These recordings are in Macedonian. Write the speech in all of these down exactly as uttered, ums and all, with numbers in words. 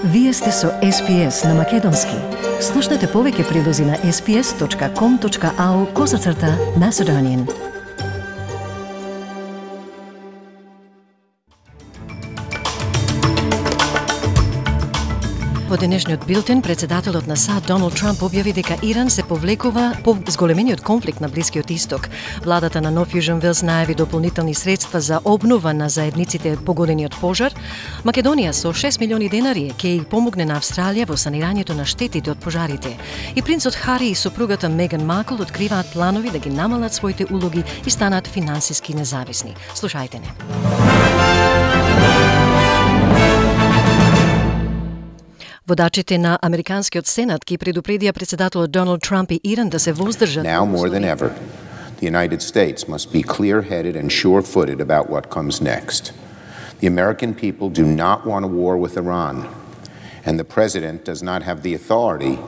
Вие сте со Ес Пи Ес на Македонски. Слушнете повеќе прилози на ес пи ес точка ком точка ау козацрта Macedonian. Во денешниот билтен, председателот на САД Доналд Трамп објави дека Иран се повлекува по зголемениот конфликт на Блискиот Исток. Владата на Нов Јужен Велс најави дополнителни средства за обнова на заедниците погодени од пожар. Македонија со шест милиони денари ќе и помогне на Австралија во санирањето на штетите од пожарите. И принцот Хари и сопругата Меган Маркл откриваат планови да ги намалат своите улоги и станат финансиски независни. Слушајте не. Водачите на Американскиот Сенат ги предупредија председателот Доналд Трамп и Иран да се воздржат. Now more than ever, the United States must be clear-headed and sure-footed about what comes next. The American people do not want a war with Iran, and the president does not have the authority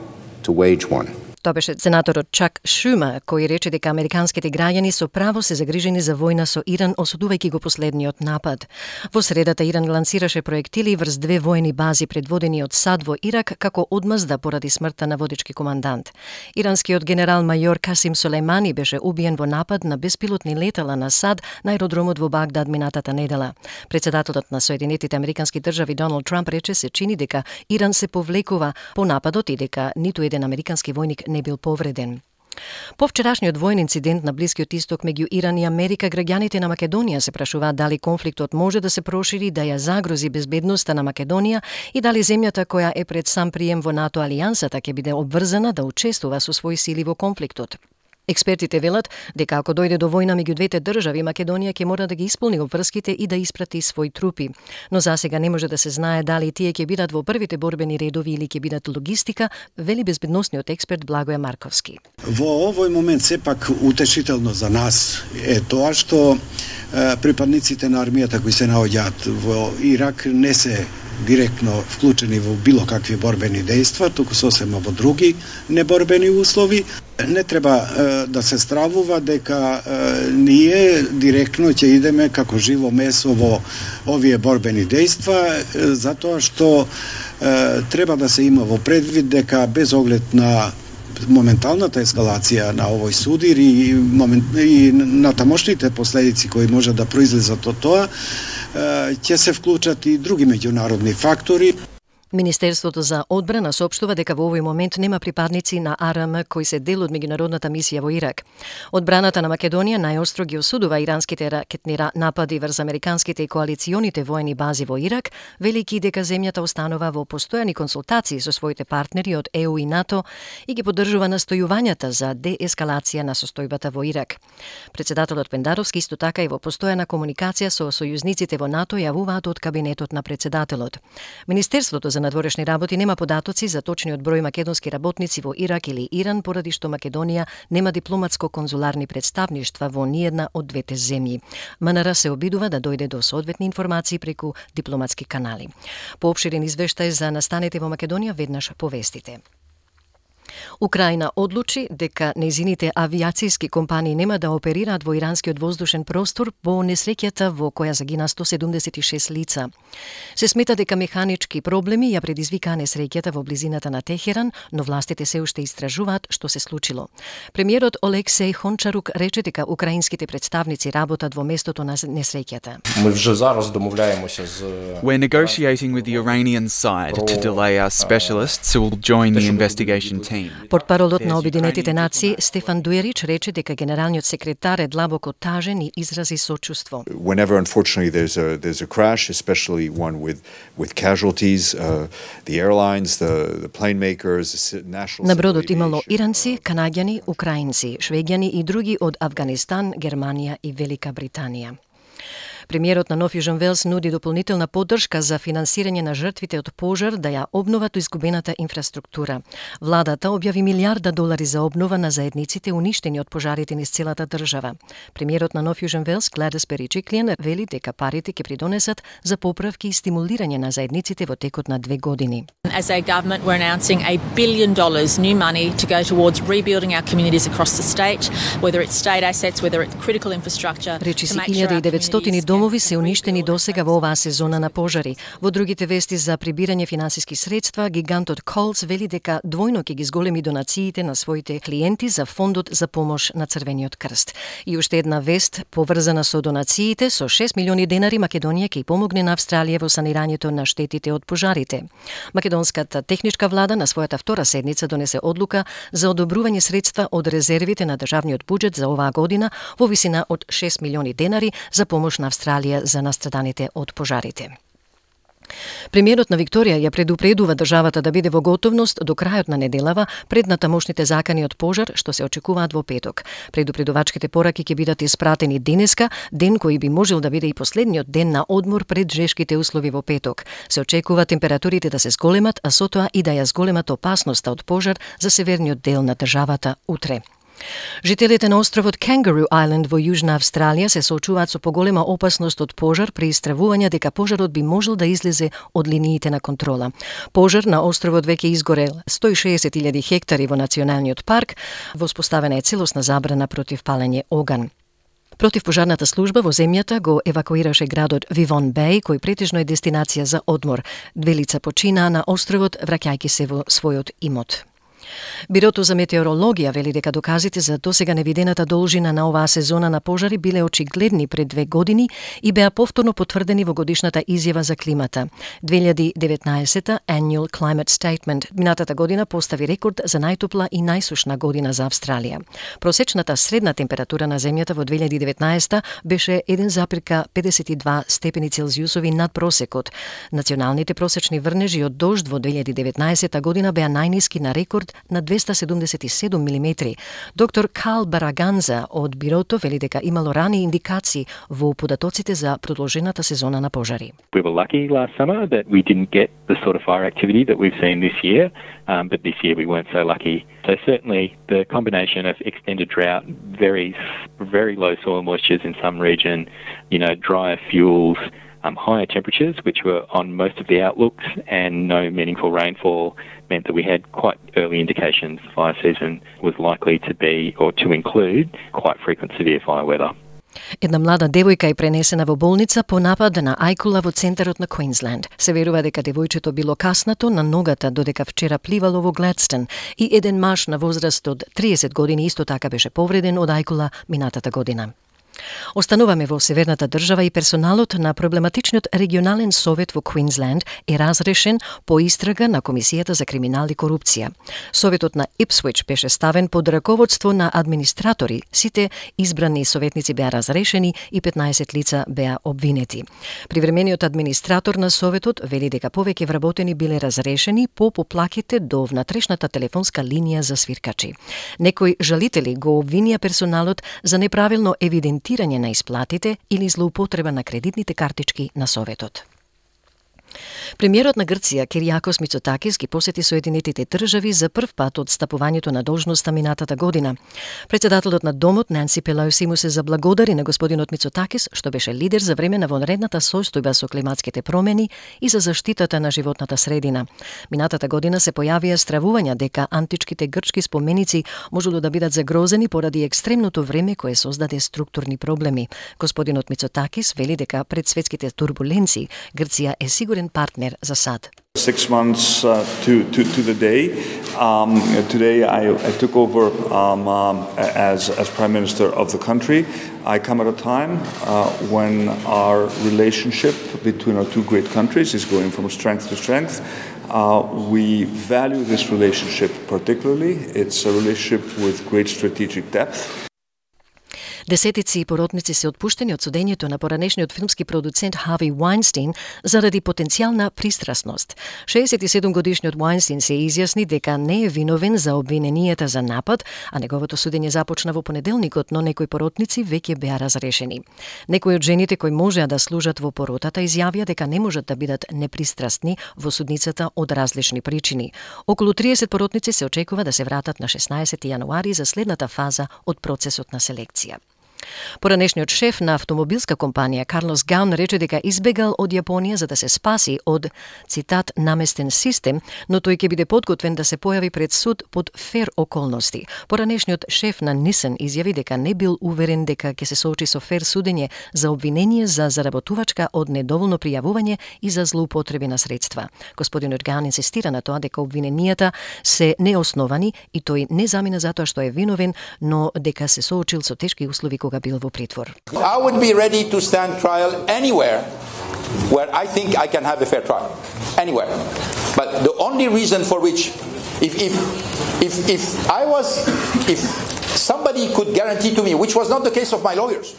to wage one. Тоа беше сенаторот Чак Шумер, кој рече дека американските граѓани со право се загрижени за војна со Иран, осудувајќи го последниот напад. Во средата Иран лансираше проектили врз две војни бази предводени од САД во Ирак како одмазда поради смртта на водечки командант. Иранскиот генерал-мајор Касим Солејмани беше убиен во напад на беспилотни летала на САД на аеродромот во Багдад минатата недела. Председателот на Соединетите американски држави Доналд Трамп рече се чини дека Иран се повлекува по нападот и дека ниту еден американски војник не бил повреден. По вчерашниот воен инцидент на Блискиот Исток меѓу Иран и Америка, граѓаните на Македонија се прашуваат дали конфликтот може да се прошири, да ја загрози безбедноста на Македонија и дали земјата која е пред сам прием во НАТО алијансата ќе биде обврзана да учествува со своји сили во конфликтот. Експертите велат дека ако дојде до војна меѓу двете држави, Македонија ќе мора да ги исполни обврските и да испрати своји трупи. Но засега не може да се знае дали тие ќе бидат во првите борбени редови или ќе бидат логистика, вели безбедносниот експерт Благоје Марковски. Во овој момент сепак утешително за нас е тоа што е, припадниците на армијата кои се наоѓаат во Ирак не се директно вклучени во било какви борбени дејства, туку сосема во други неборбени услови. Не треба е, да се стравува дека е, ние директно ќе идеме како живо месо во овие борбени дејства, е, затоа што е, треба да се има во предвид дека без оглед на моменталната ескалација на овој судир и, момент, и на тамошните последици кои може да произлезат од тоа, ќе се вклучат и други меѓународни фактори. Министерството за одбрана соопштува дека во овој момент нема припадници на А Р М кои се дел од меѓународната мисија во Ирак. Одбраната на Македонија најостро ги осудува иранските ракетни напади врз американските и коалиционите воени бази во Ирак, велики дека земјата останува во постојани консултации со своите партнери од Е У и НАТО и ги поддржува настојувањата за деескалација на состојбата во Ирак. Председателот Пендаровски исто така и во постојана комуникација со сојузниците во НАТО јавуваат од кабинетот на председателот. Министерството за надворешни работи нема податоци за точниот број македонски работници во Ирак или Иран, поради што Македонија нема дипломатско-конзуларни представништва во ниедна од двете земји. М Н Р се обидува да дојде до соодветни информации преку дипломатски канали. По опширен извештај за настаните во Македонија веднаш повестите. Украина одлучи дека нејзините авиацијски компании нема да оперираат во иранскиот воздушен простор по несреќата во која загина сто седумдесет и шест лица. Се смета дека механички проблеми ја предизвикаа несреќата во близината на Техеран, но властите се уште истражуваат што се случило. Премиерот Олексеј Хончарук рече дека украинските представници работат во местото на несреќата. We're negotiating with the Iranian side to delay our specialists who will join the investigation team. Портпаролот на Обединетите нации Стефан Дуерич рече дека генералниот секретар е длабоко тажен и изрази сочувство. Whenever unfortunately there's a there's a crash, especially one with with casualties, uh, the airlines, the the plane makers, the national. На бродот имало иранци, канаѓани, украинци, швеѓани и други од Авганистан, Германија и Велика Британија. Премиерот на Нов Јужен Велс нуди дополнителна поддршка за финансирање на жртвите од пожар да ја обноват изгубената инфраструктура. Владата објави милиарда долари за обнова на заедниците уништени од пожарите низ целата држава. Премиерот на Нов Јужен Велс Гледис Бериџиклијан вели дека парите ќе придонесат за поправки и стимулирање на заедниците во текот на две години. As a government, we're announcing a billion dollars new money to go towards rebuilding our communities across the state, whether it's state assets, whether it's critical infrastructure. Речиси илјада и деветстотини дома домови се уништени досега во оваа сезона на пожари. Во другите вести за прибирање финансиски средства, гигантот Колс вели дека двојно ќе ги зголеми донациите на своите клиенти за фондот за помош на Црвениот крст. И уште една вест поврзана со донациите, со шест милиони денари Македонија ќе помогне на Австралија во санирањето на штетите од пожарите. Македонската техничка влада на својата втора седница донесе одлука за одобрување средства од резервите на државниот буџет за оваа година во висина од шест милиони денари за помош на Австралија за настраданите од пожарите. Премиерот на Викторија ја предупредува државата да биде во готовност до крајот на неделава пред натамошните закани од пожар што се очекуваат во петок. Предупредувачките пораки ќе бидат испратени денеска, ден кој би можел да биде и последниот ден на одмор пред жешките услови во петок. Се очекува температурите да се зголемат, а со тоа и да ја зголемат опасноста од пожар за северниот дел на државата утре. Жителите на островот Kangaroo Island во Јужна Австралија се соочуваат со поголема опасност од пожар при истравување дека пожарот би можел да излезе од линиите на контрола. Пожар на островот веќе изгорел сто и шеесет илјади хектари во националниот парк, воспоставена е целосна забрана против палење оган. Противпожарната служба во земјата го евакуираше градот Вивон Беј, кој претежно е дестинација за одмор. Две лица починаа на островот, враќајќи се во својот имот. Бирото за метеорологија вели дека доказите за досега невидената должина на оваа сезона на пожари биле очигледни пред две години и беа повторно потврдени во годишната изјава за климата. две илјади и деветнаесета Annual Climate Statement минатата година постави рекорд за најтопла и најсушна година за Австралија. Просечната средна температура на земјата во две илјади и деветнаесета беше еден запирка педесет и два степени Целзиусови над просекот. Националните просечни врнежи од дожд во две илјади и деветнаесета година беа најниски на рекорд на двеста седумдесет и седум милиметри. Доктор Кал Бараганза од Бирото вели дека имало рани индикации во податоците за продолжената сезона на пожари. We were lucky last summer that we didn't get the sort of fire activity that we've seen this year, um, but this year we weren't so lucky. So certainly the combination of extended drought, very, very low soil moistures in some region, you know, drier fuels, Um, higher temperatures, which were on most of the outlooks, and no meaningful rainfall meant that we had quite early indications the fire season was likely to be or to include quite frequent severe fire weather. Една млада девојка е пренесена во болница по напад на ајкула во центарот на Квинсленд. Се верува дека девојчето било каснато на ногата додека вчера пливало во Гледстон и еден маж на возраст од триесет години исто така беше повреден од ајкула минатата година. Остануваме во северната држава и персоналот на проблематичниот регионален совет во Квинсленд е разрешен по истрага на Комисијата за криминал и корупција. Советот на Ипсвич беше ставен под раководство на администратори. Сите избрани советници беа разрешени и петнаесет лица беа обвинети. Привремениот администратор на советот вели дека повеќе вработени биле разрешени по поплаките до внатрешната телефонска линија за свиркачи. Некои жалители го обвинија персоналот за неправилно евидентирање на исплатите или злоупотреба на кредитните картички на советот. Премиерот на Грција Киријакос Мицотакис ги посети Соединетите држави за прв пат од стапувањето на должноста минатата година. Председателот на Домот Нанси Пелоси му се заблагодари на господинот Мицотакис што беше лидер за време на вонредната состојба со климатските промени и за заштитата на животната средина. Минатата година се појавија стравувања дека античките грчки споменици можело да бидат загрозени поради екстремното време кое создаде структурни проблеми. Господинот Мицотакис вели дека пред светските турбуленции Грција е сигурен партнер за сад. Six months uh, to, to, to the day. Um, today I, I took over um, um, as, as Prime Minister of the country. I come at a time uh, when our relationship between our two great countries is going from strength to strength. Uh, we value this relationship particularly. It's a relationship with great strategic depth. Десетици поротници се отпуштени од судењето на поранешниот филмски продуцент Хави Вајнстин заради потенцијална пристрасност. шеесет и седум годишниот Вајнстин се изјасни дека не е виновен за обвиненијата за напад, а неговото судење започна во понеделникот, но некои поротници веќе беа разрешени. Некои од жените кои можеа да служат во поротата изјавија дека не можат да бидат непристрасни во судницата од различни причини. Околу триесет поротници се очекува да се вратат на шеснаесети јануари за следната фаза од процесот на селекција. Поранешниот шеф на автомобилска компанија Карлос Гаун рече дека избегал од Јапонија за да се спаси од, цитат, наместен систем, но тој ќе биде подготвен да се појави пред суд под фер околности. Поранешниот шеф на Nissan изјави дека не бил уверен дека ќе се соочи со фер судење за обвинение за заработувачка од недоволно пријавување и за злоупотреби на средства. Господинот Гаун инсистира на тоа дека обвиненијата се неосновани и тој не замина затоа што е виновен, но дека се соочил со тешки услови кога бил во притвор. I would be ready to stand trial anywhere where I think I can have a fair trial. Anywhere. But the only reason for which if if if if I was if somebody could guarantee to me, which was not the case of my lawyers.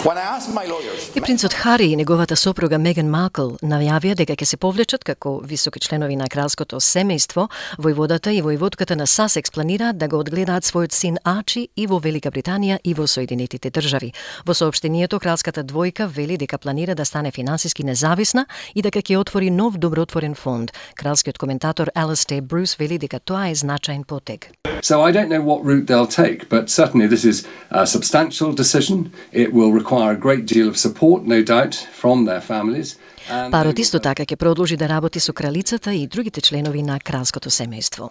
When I asked my lawyers, И принцот Хари и неговата сопруга Меган Маркл најавија дека ќе се повлечат како високи членови на кралското семејство. Војводата и војводката на Сасекс планираат да го одгледаат својот син Арчи и во Велика Британија и во Соединетите држави. Во соопштението кралската двојка вели дека планира да стане финансиски независна и дека ќе отвори нов добротворен фонд. Кралскиот коментатор Алистер Брус вели дека тоа е значаен потег. So I don't know what route they'll take, but certainly this is a substantial decision. It will require a great deal of support, no doubt, from their families. Парот исто така ќе продолжи да работи со кралицата и другите членови на кралското семејство.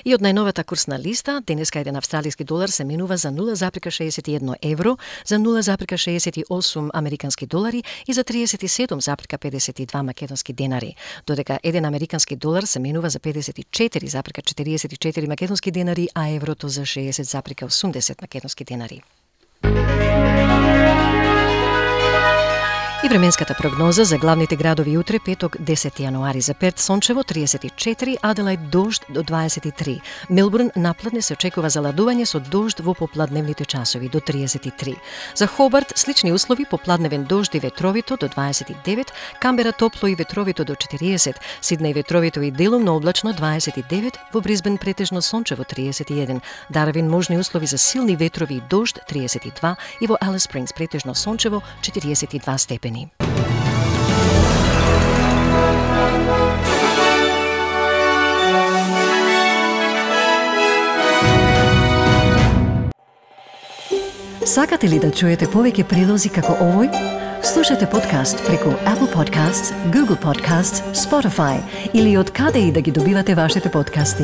И од најновата курсна листа, денеска еден австралиски долар се менува за нула зарка шеесет и едно евро, за нула зарка шеесет и осум американски долари и за триесет и седум зарка педесет и два македонски денари, додека еден американски долар се менува за педесет и четири зарка четириесет и четири македонски денари, а еврото за шеесет зарка осумдесет македонски денари. И временската прогноза за главните градови утре, петок, десети јануари. За Перт сончево триесет и четири, Аделајд дожд до дваесет и три. Мелбурн напладне се очекува заладување со дожд во попладневните часови до триесет и три. За Хобарт слични услови, попладневен дожд и ветровито до дваесет и девет, Камбера топло и ветровито до четириесет, Сиднеј ветровито и делумно облачно дваесет и девет, во Брисбен претежно сончево триесет и еден, Дарвин можни услови за силни ветрови и дожд триесет и два и во Алис Спрингс претежно сончево четириесет и два степени. Сакате ли да чуете повеќе прилози како овој? Слушате подкаст преку Apple Podcasts, Google Podcasts, Spotify или од каде и да ги добивате вашите подкасти.